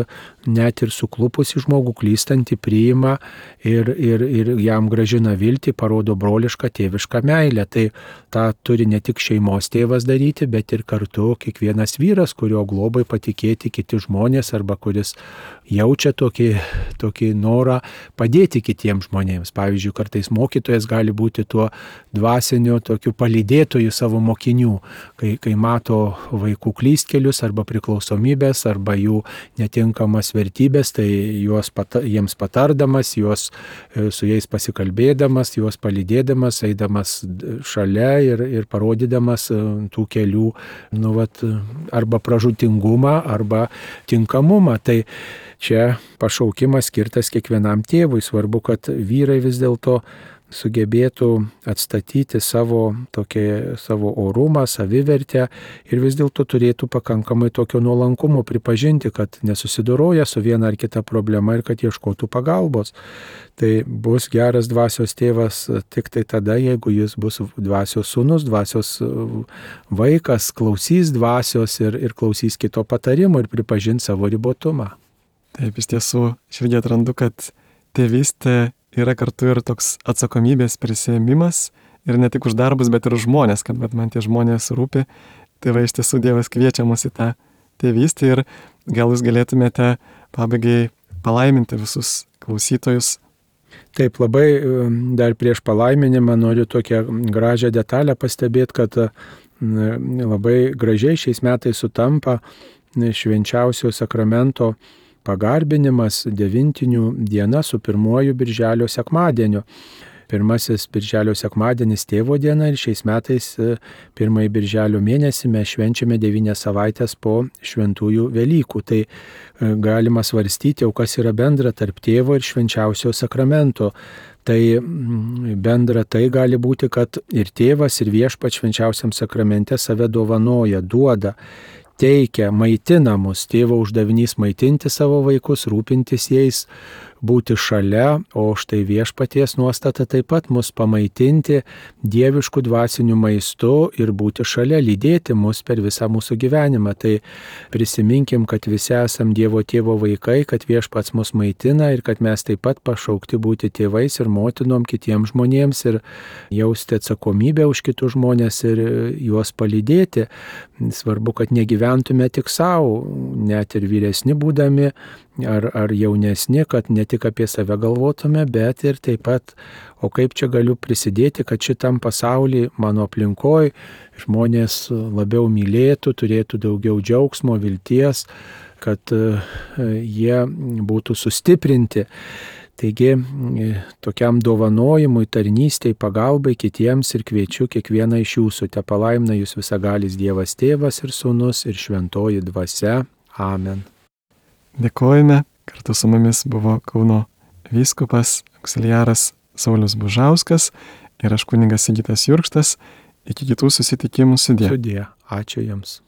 net ir suklupusi žmogų klystantį priima ir, ir, ir jam gražina viltį, parodo brolišką tėvišką meilę. Tai tą turi ne tik šeimos tėvas daryti, bet ir kartu kiekvienas vyras, kurio globai patikėti kiti žmonės arba kuris jaučia tokį, tokį norą padėti kitiems žmonėms. Pavyzdžiui, kartais mokytojas gali būti tuo dvasiniu tokiu palydėtoju savo mokinių, kai, kai mato vaikų klystkelius arba priklausomybės arba jų netinkamas vertybės, tai juos pata, jiems patardamas, juos, su jais pasikalbėdamas, juos palydėdamas, eidamas šalia ir, ir parodydamas tų kelių, nu, vat, arba pražūtingumą, arba tinkamumą. Tai čia pašaukimas skirtas kiekvienam tėvui. Svarbu, kad vyrai vis dėlto sugebėtų atstatyti savo, tokie, savo orumą, savivertę ir vis dėlto turėtų pakankamai tokio nuolankumo pripažinti, kad nesusidoroja su viena ar kita problema ir kad ieškotų pagalbos. Tai bus geras dvasios tėvas tik tai tada, jeigu jis bus dvasios sūnus, dvasios vaikas, klausys dvasios ir, ir klausys kito patarimo ir pripažins savo ribotumą. Taip, iš tiesų, aš irgi atrandu, kad tėvystė yra kartu ir toks atsakomybės prisėmimas ir ne tik už darbus, bet ir už žmonės, kad man tie žmonės rūpi. Tai va, iš tiesų Dievas kviečia mus į tą tėvystę ir gal jūs galėtumėte pabaigai palaiminti visus klausytojus. Taip, labai dar prieš palaiminimą noriu tokią gražią detalę pastebėti, kad labai gražiai šiais metais sutampa švenčiausio sakramento pagarbinimas devintinių diena su pirmuoju birželio sekmadieniu. Pirmasis birželio sekmadienis tėvo diena ir šiais metais pirmąjį birželio mėnesį mes švenčiame devynias savaitės po šventųjų Velykų. Tai galima svarstyti, o kas yra bendra tarp tėvo ir švenčiausio sakramento. Tai bendra tai gali būti, kad ir tėvas, ir viešpats švenčiausiam sakramente save dovanoja, duoda. teikia, maitina mus. Tėvo uždavinys maitinti savo vaikus, rūpintis jais, būti šalia, o štai viešpaties nuostata taip pat mus pamaitinti dieviškų dvasinių maistu ir būti šalia, lydėti mus per visą mūsų gyvenimą. Tai prisiminkim, kad visi esam Dievo tėvo vaikai, kad viešpats mus maitina ir kad mes taip pat pašaukti būti tėvais ir motinom kitiems žmonėms ir jausti atsakomybę už kitus žmonės ir juos palydėti. Svarbu, kad negyventume tik savo, net ir vyresni būdami ar, ar jaunesni, kad ne tik apie save galvotume, bet ir taip pat, o kaip čia galiu prisidėti, kad šitam pasaulyje, mano aplinkoje, žmonės labiau mylėtų, turėtų daugiau džiaugsmo, vilties, kad jie būtų sustiprinti. Taigi, tokiam dovanojimui, tarnystei, pagalbai kitiems ir kviečiu kiekvieną iš jūsų. Te palaimina jūs visagalis Dievas Tėvas ir Sūnus ir Šventoji Dvasia. Amen. Dėkojame. Kartu su mumis buvo Kauno vyskupas auksiliaras Saulius Bužauskas ir aš kunigas Sigitas Jurkštas. Iki kitų susitikimų sudie. Sudie. Ačiū Jums.